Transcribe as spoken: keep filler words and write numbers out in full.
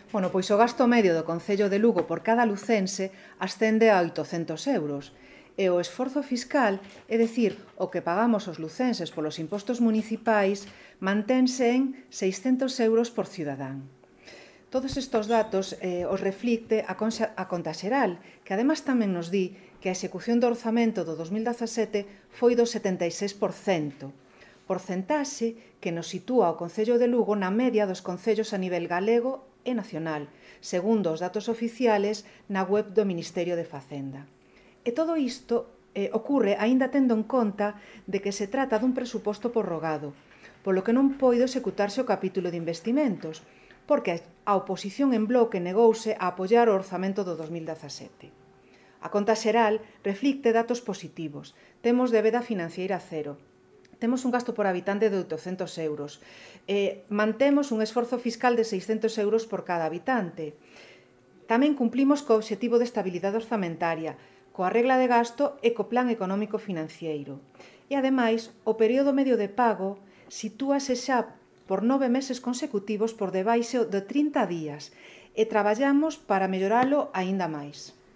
Bueno, pois o gasto medio do Concello de Lugo por cada lucense ascende a oitocentos euros e o esforzo fiscal, é dicir, o que pagamos os lucenses polos impostos municipais, mantense en seiscentos euros por cidadán. Todos estes datos eh, os reflicte a, conxa, a Conta Xeral, que además tamén nos di que a execución do orzamento do dos mil dezasete foi do setenta e seis por cento, porcentaxe que nos sitúa o Concello de Lugo na media dos concellos a nivel galego e nacional, segundo os datos oficiales na web do Ministerio de Facenda. E todo isto eh, ocorre aínda tendo en conta de que se trata dun presuposto prorrogado, polo que non poido executarse o capítulo de investimentos, porque a oposición en bloque negouse a apoiar o orzamento do dos mil dezasete. A Conta Xeral reflicte datos positivos. Temos débeda financiera cero. Temos un gasto por habitante de oitocentos euros. Eh, mantemos un esforzo fiscal de seiscentos euros por cada habitante. Tamén cumplimos co obxectivo de estabilidade orzamentaria, coa regla de gasto e co plan económico financiero. E, ademais, o período medio de pago sitúase xa por nove meses consecutivos por debaixo de trinta días e traballamos para melloralo aínda máis.